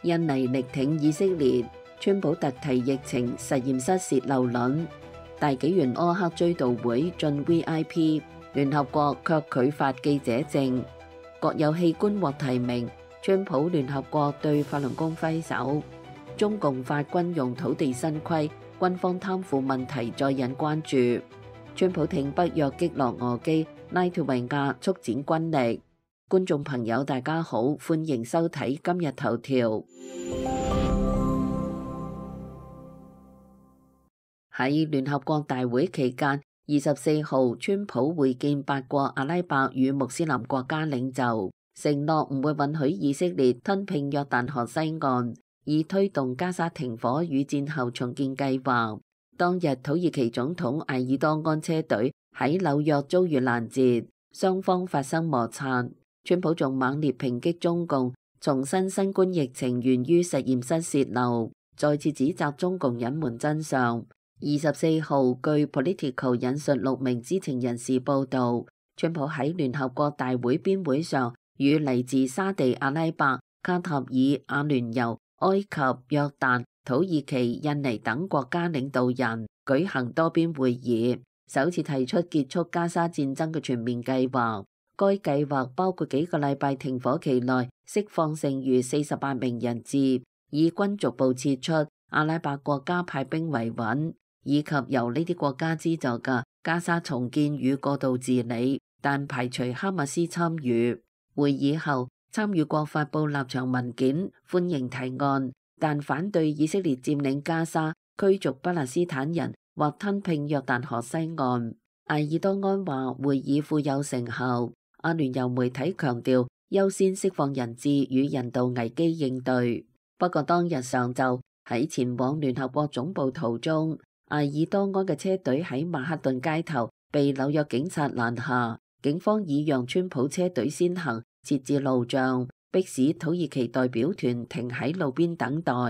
印尼力挺以色列，川普特提疫情實驗室洩漏論，大紀元柯克追悼會進 VIP， 聯合國卻拒發記者證，國有器官獲提名，川普聯合國對法輪功揮手，中共發軍用土地新規，軍方貪腐問題再引關注，川普挺北約擊落俄機，拉脫維亞速展軍力。觀眾朋友大家好，歡迎收睇今日頭條。喺聯合國大會期間，24號川普會見8國阿拉伯與穆斯林國家領袖，承諾唔會允許以色列吞併約旦河西岸，以推動加沙停火與戰後重建計劃。當日土耳其總統埃爾多安車隊喺紐約遭遇攔截，雙方發生摩擦。川普仲猛烈抨擊中共，重申新冠疫情源於實驗室洩漏，再次指責中共隱瞞真相。24號據 Politico 引述6名知情人士報道，川普喺聯合國大會邊會上與嚟自沙地阿拉伯、卡塔爾、阿聯酋、埃及、約旦、土耳其、印尼等國家領導人舉行多邊會議，首次提出結束加沙戰爭嘅全面計劃。該計劃包括幾個禮拜停火期內釋放剩餘48名人質，以軍逐步撤出，阿拉伯國家派兵維穩，以及由呢啲國家資助嘅加沙重建與過渡治理，但排除哈馬斯參與。會議後，參與國發布立場文件，歡迎提案，但反對以色列佔領加沙、驅逐巴勒斯坦人或吞併約旦河西岸。埃爾多安話會議富有成效。阿聯酋媒體強調優先釋放人質與人道危機應對。不過當日上晝喺前往聯合國總部途中，埃爾多安嘅車隊喺曼克頓街頭被紐約警察攔下，警方以讓川普車隊先行，設置路障，迫使土耳其代表團停喺路邊等待。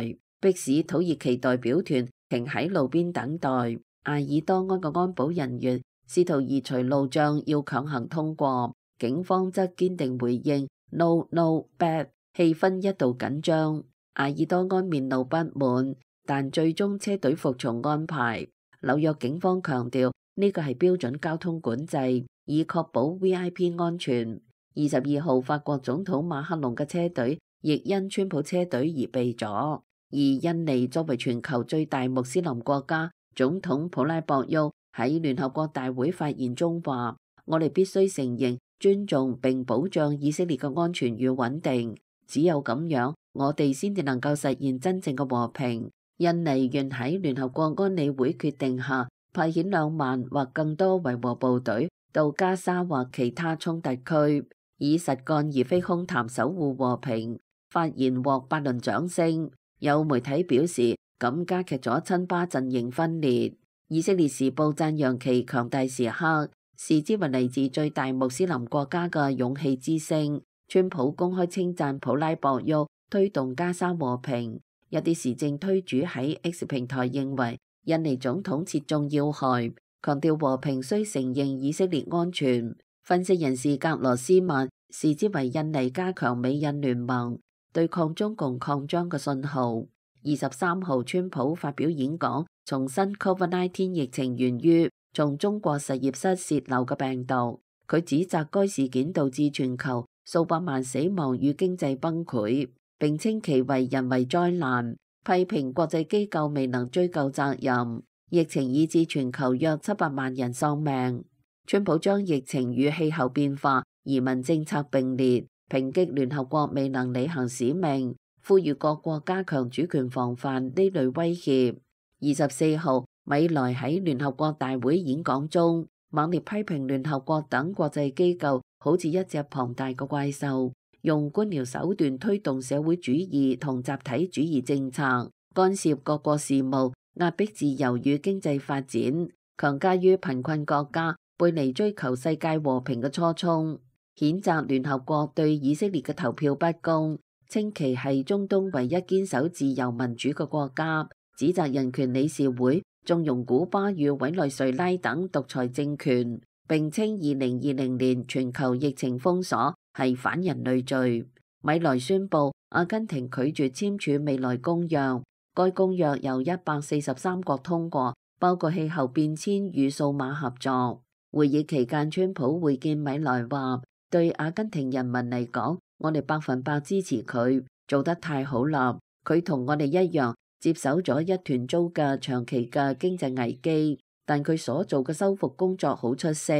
埃爾多安嘅安保人員試圖移除路障，要強行通過。警方則堅定回應 No No bad， 氣氛一度緊張。埃爾多安面露不滿，但最終車隊服從安排。紐約警方強調呢個係標準交通管制，以確保 VIP 安全。22號法國總統馬克龍嘅車隊亦因川普車隊而被阻。而印尼作為全球最大穆斯林國家，總統普拉博沃喺聯合國大會發言中話：我哋必須承認、尊重並保障以色列嘅安全與穩定，只有咁樣，我哋先至能夠實現真正嘅和平。印尼願喺聯合國安理會決定下派遣2萬或更多維和部隊到加沙或其他衝突區，以實幹而非空談守護和平。發言獲8輪掌聲。有媒體表示，咁加劇咗親巴陣營分裂。以色列時報讚揚其強大時刻，視之為嚟自最大穆斯林國家嘅勇氣之聲。川普公開稱讚普拉博沃推動加沙和平。一啲時政推主喺 X 平台認為印尼總統切中要害，強調和平需承認以色列安全。分析人士格羅斯曼視之為印尼加強美印聯盟對抗中共擴張嘅信號。23號川普發表演講，重申 COVID-19 疫情源於從中國實驗室洩漏嘅病毒。佢指責該事件導致全球數百萬死亡與經濟崩潰，並稱其為人為災難，批評國際機構未能追究責任。疫情以致全球約700萬人喪命。川普將疫情與氣候變化、移民政策並列，抨擊聯合國未能履行使命，呼籲各國加強主權防範呢類威脅。24號，米萊喺聯合國大會演講中，猛烈批評聯合國等國際機構好似一隻龐大嘅怪獸，用官僚手段推動社會主義同集體主義政策，干涉各國事務，壓迫自由與經濟發展，強加於貧困國家，背離追求世界和平嘅初衷。譴責聯合國對以色列嘅投票不公，稱其係中東唯一堅守自由民主嘅國家，指責人權理事會縱容古巴與委內瑞拉等獨裁政權，並稱2020年全球疫情封鎖係反人類罪。米萊宣布阿根廷拒絕簽署未來公約，該公約由143國通過，包括氣候變遷與數碼合作。會議期間，川普會見米萊話：對阿根廷人民嚟講，我哋100%支持佢，做得太好啦！佢同我哋一樣接手咗一團糟嘅長期嘅經濟危機，但佢所做嘅修復工作好出色。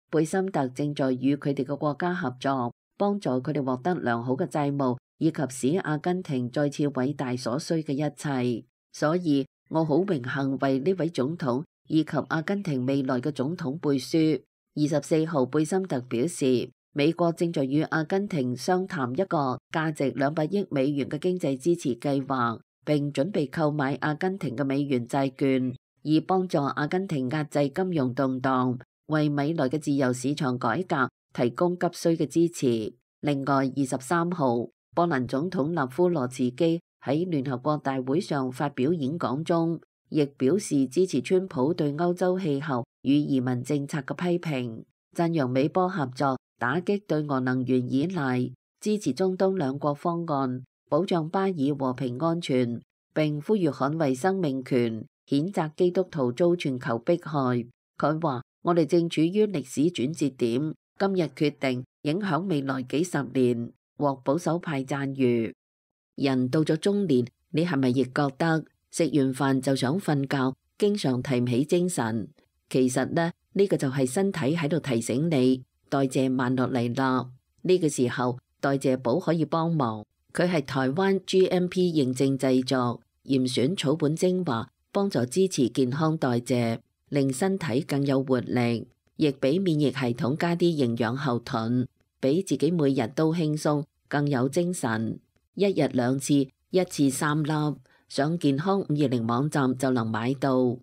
貝森特正在與佢哋嘅國家合作，幫助佢哋獲得良好嘅債務，以及使阿根廷再次偉大所需嘅一切。所以我好榮幸為呢位總統以及阿根廷未來嘅總統背書。24號，貝森特表示，美國正在與阿根廷商談一個價值200億美元嘅經濟支持計劃，並準備購買阿根廷嘅美元債券，以幫助阿根廷壓制金融動盪，為未來嘅自由市場改革提供急需嘅支持。另外，23號，波蘭總統納夫羅茨基喺聯合國大會上發表演講中，亦表示支持川普對歐洲氣候與移民政策嘅批評，讚揚美波合作打擊對俄能源依賴，支持中東兩國方案，保障巴以和平安全，並呼籲捍衛生命權，譴責基督徒遭全球迫害。佢話：我哋正處於歷史轉折點，今日決定影響未來幾十年，獲保守派讚譽。人到咗中年，你係咪亦覺得食完飯就想瞓覺，經常提唔起精神？其實呢個就係身體喺度提醒你代謝慢落嚟啦。呢個時候代謝寶可以幫忙，佢係台灣 GMP 認證製作，嚴選草本精華，幫助支持健康代謝，令身體更有活力，亦俾免疫系統加啲營養後盾，俾自己每日都輕鬆，更有精神。1日2次，一次3粒，上健康520網站就能買到。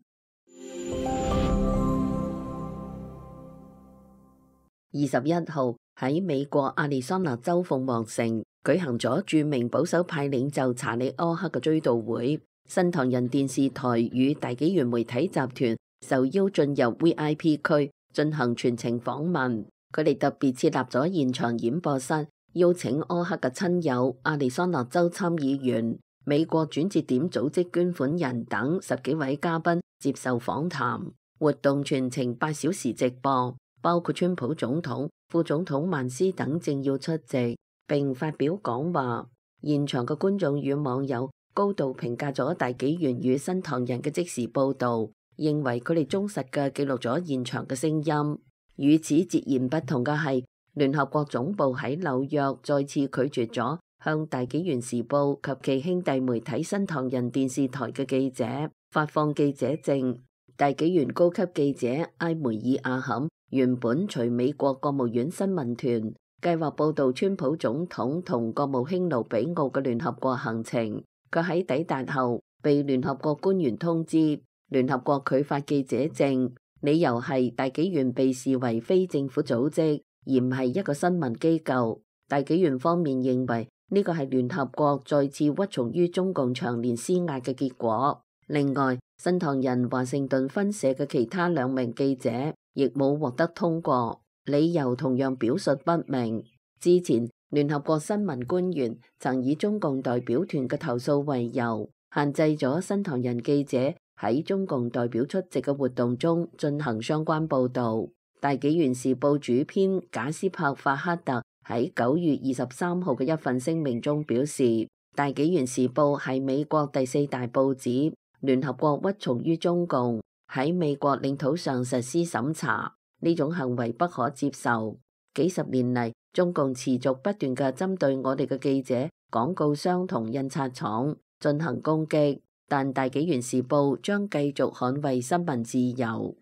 21號，喺美國亞利桑那州鳳凰城舉行咗著名保守派領袖查理柯克嘅追悼會，新唐人電視台與大紀元媒體集團受邀進入 VIP 區進行全程訪問，佢哋特別設立咗現場演播室，邀請柯克嘅親友、亞利桑那州參議員、美國轉折點組織捐款人等10幾位嘉賓接受訪談。活動全程8小時直播，包括川普總統、副總統曼斯等政要出席並發表講話。現場嘅觀眾與網友高度評價咗大紀元與新唐人嘅即時報導，認為佢哋忠實嘅記錄咗現場嘅聲音。與此截然不同嘅係，聯合國總部喺紐約再次拒絕咗向大紀元時報及其兄弟媒體新唐人電視台嘅記者發放記者證。大紀元高級記者埃梅爾阿坎原本隨美國國務院新聞團計劃報導川普總統同國務卿盧比奧嘅聯合國行程，佢喺抵達後被聯合國官員通知，聯合國拒發記者證，理由係大紀元被視為非政府組織，而唔係一個新聞機構。大紀元方面認為呢個係聯合國再次屈從於中共長年施壓嘅結果。另外，新唐人華盛頓分社嘅其他2名記者亦冇獲得通過，理由同樣表述不明。之前聯合國新聞官員曾以中共代表團嘅投訴為由，限制咗新唐人記者喺中共代表出席嘅活動中進行相關報導。大紀元時報主編賈斯珀法克特喺9月23號嘅一份聲明中表示，大紀元時報係美國第4大報紙，聯合國屈從於中共，喺美國領土上實施審查，呢種行為不可接受。幾十年嚟，中共持續不斷嘅針對我哋嘅記者、廣告商同印刷廠進行攻擊，但大紀元時報將繼續捍衛新聞自由。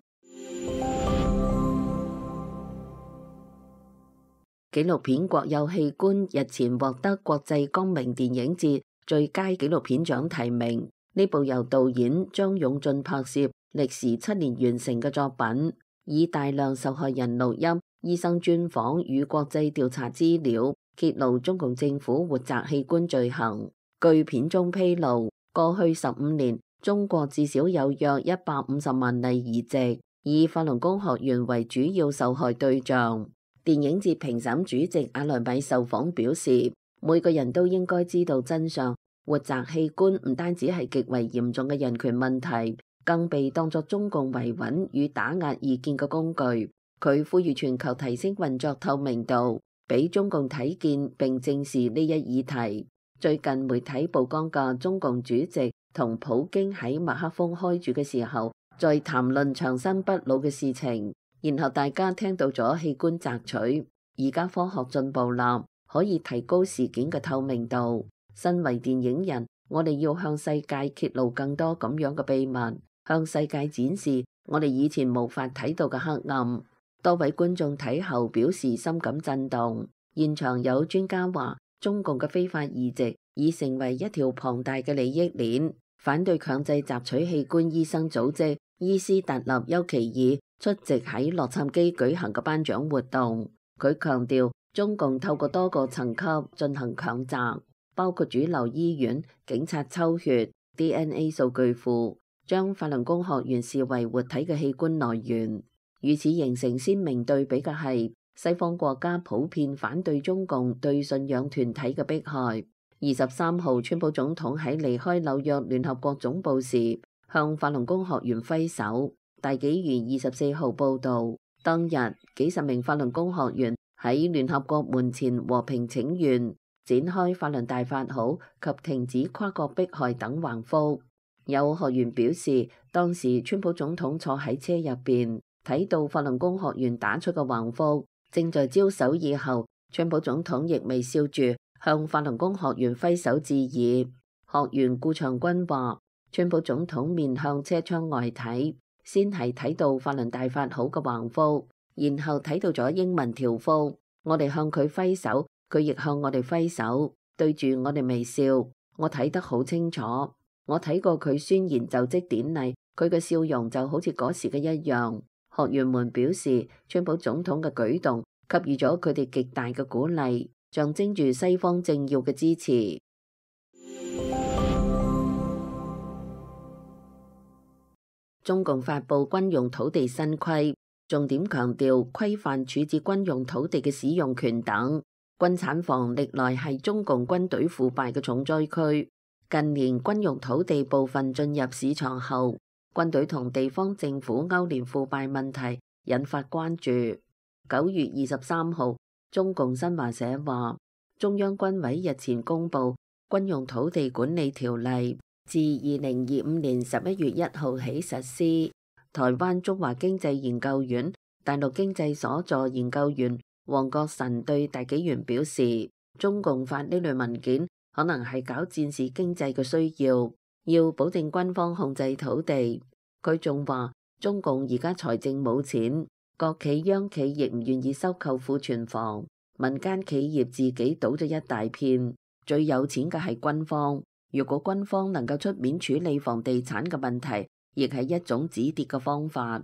紀錄片《國有器官》日前獲得國際光明電影節最佳紀錄片獎提名。呢部由導演張勇進拍攝、歷時7年完成嘅作品，以大量受害人錄音、醫生專訪與國際調查資料，揭露中共政府活摘器官罪行。據片中披露，過去15年，中國至少有約150萬例移植，以法輪功學員為主要受害對象。電影節評審主席阿萊米受訪表示，每個人都應該知道真相。活摘器官唔單止係極為嚴重嘅人權問題，更被當作中共維穩與打壓異見嘅工具。佢呼籲全球提升運作透明度，俾中共睇見並正視呢一議題。最近媒體曝光嘅中共主席同普京喺麥克風開住嘅時候，在談論長生不老嘅事情，然後大家聽到咗器官摘取。而家科學進步啦，可以提高事件嘅透明度。身為電影人，我哋要向世界揭露更多咁樣嘅秘密，向世界展示我哋以前無法睇到嘅黑暗。多位觀眾睇後表示深感震動。現場有專家話，中共嘅非法移植已成為一條龐大嘅利益鏈。反對強制摘取器官醫生組織伊斯特納丘奇爾出席喺洛杉磯舉行嘅頒獎活動。佢強調，中共透過多個層級進行強摘，包括主流醫院、警察抽血、DNA 數據庫，將法輪功學員視為活體嘅器官來源。與此形成鮮明對比嘅係，西方國家普遍反對中共對信仰團體嘅迫害。23號，川普總統喺離開紐約聯合國總部時，向法輪功學員揮手。大紀元24號報導，當日幾十名法輪功學員喺聯合國門前和平請願，展開法輪大法好及停止跨國迫害等橫幅。有學員表示，當時川普總統坐喺車入邊，睇到法輪功學員打出嘅橫幅，正在招手以後，川普總統亦微笑住向法輪功學員揮手致意。學員顧長軍話，川普總統面向車窗外睇，先係睇到法輪大法好嘅橫幅，然後睇到咗英文條幅。我哋向佢揮手，佢亦向我哋揮手，對住我哋微笑。我睇得好清楚，我睇過佢宣言就職典禮，佢嘅笑容就好似嗰時嘅一樣。學員們表示，川普總統嘅舉動給予咗佢哋極大嘅鼓勵，象徵住西方政要嘅支持。中共發布軍用土地新規，重點強調規範處置軍用土地嘅使用權等。軍產房歷來係中共軍隊腐敗嘅重災區，近年軍用土地部分進入市場後，軍隊同地方政府勾連腐敗問題引發關注。9月23號，中共新華社話，中央軍委日前公布軍用土地管理條例，自2025年11月1號起實施。台灣中華經濟研究院大陸經濟所助研究員黃國臣對大紀元表示，中共發呢類文件可能係搞戰時經濟嘅需要，要保證軍方控制土地。佢仲話，中共而家財政冇錢，國企央企亦唔願意收購庫存房，民間企業自己倒咗一大片，最有錢嘅係軍方。如果軍方能夠出面處理房地產嘅問題，亦係一種止跌嘅方法。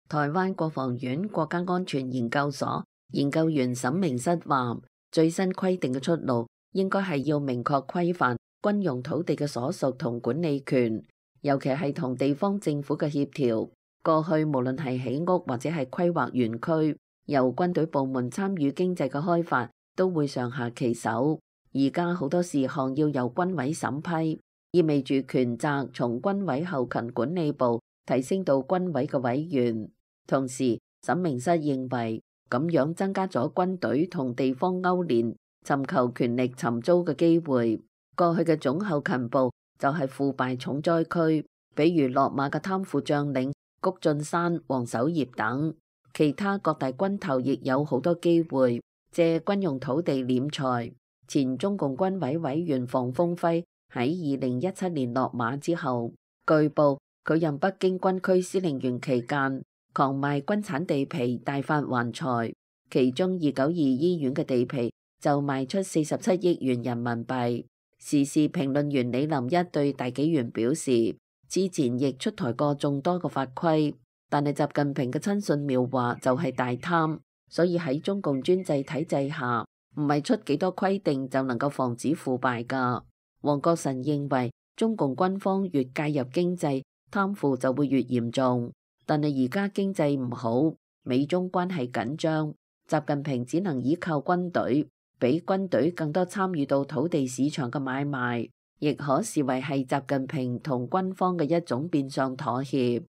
台灣國防院國家安全研究所研究員沈明室話，最新規定嘅出路應該係要明確規範軍用土地嘅所屬同管理權，尤其係同地方政府嘅協調。過去無論係起屋或者係規劃園區，由軍隊部門參與經濟嘅開發，都會上下其手。而家好多事項要由軍委審批，意味住權責從軍委後勤管理部提升到軍委嘅委員。同時，沈明室認為咁樣增加咗軍隊同地方勾連、尋求權力尋租嘅機會。過去嘅總後勤部就係腐敗重災區，比如落馬嘅貪腐將領谷俊山、黃守業等，其他各大軍頭亦有好多機會借軍用土地斂財。前中共軍委委員房峰輝喺2017年落馬之後，據報佢任北京軍區司令員期間，狂賣軍產地皮大發橫財，其中292醫院嘅地皮就賣出47億元人民幣。時事評論員李林一對大紀元表示，之前亦出台過眾多個法規，但係習近平嘅親信描畫就係大貪，所以喺中共專制體制下，唔係出幾多規定就能夠防止腐敗㗎。黃國臣認為，中共軍方越介入經濟，貪腐就會越嚴重。但係而家經濟唔好，美中關係緊張，習近平只能依靠軍隊，俾軍隊更多參與到土地市場嘅買賣，亦可視為係習近平同軍方嘅一種變相妥協。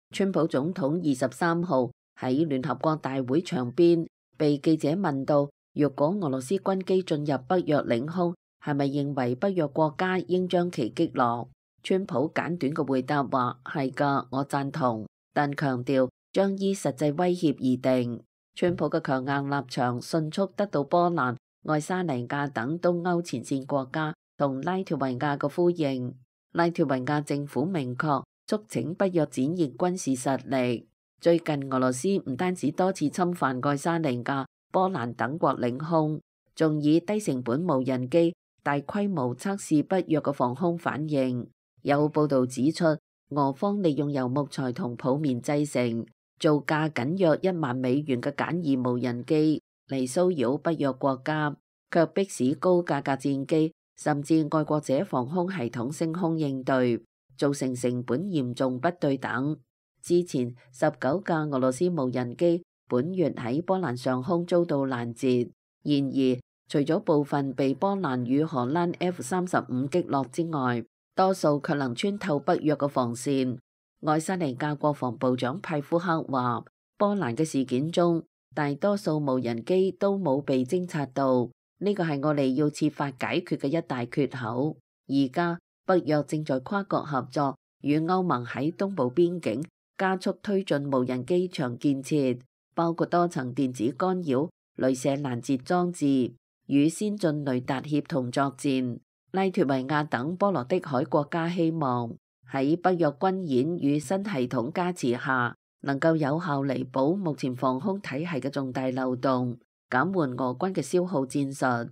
川普總統23號喺聯合國大會場邊被記者問到，若果俄羅斯軍機進入北約領空，係咪認為北約國家應將其擊落？川普簡短嘅回答話：係㗎，我贊同，但強調將依實際威脅而定。川普嘅強硬立場迅速得到波蘭、愛沙尼亞等東歐前線國家同拉脫維亞嘅呼應。拉脫維亞政府明確促請北約展現軍事實力。最近俄羅斯唔單止多次侵犯愛沙尼亞、波蘭等國領空，仲以低成本無人機大規模測試北約嘅防空反應。有報道指出，俄方利用由木材同泡棉製成、造價僅約$10,000嘅簡易無人機嚟騷擾北約國家，卻迫使高價格戰機甚至愛國者防空系統升空應對，造成成本嚴重不對等。之前19架俄羅斯無人機本月喺波蘭上空遭到攔截，然而除咗部分被波蘭與荷蘭 F-35擊落之外，多數卻能穿透北約嘅防線。愛沙尼亞國防部長派夫克話，波蘭嘅事件中，大多數無人機都冇被偵察到，呢個係我哋要設法解決嘅一大缺口。而家北約正在跨國合作，與歐盟喺東部邊境加速推進無人機場建設，包括多層電子干擾、鐳射攔截裝置與先進雷達協同作戰。拉脫維亞等波羅的海國家希望喺北約軍演與新系統加持下，能夠有效彌補目前防空體系嘅重大漏洞，減緩俄軍嘅消耗戰術。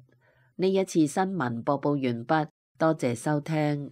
呢一次新聞播報完畢，多謝收聽。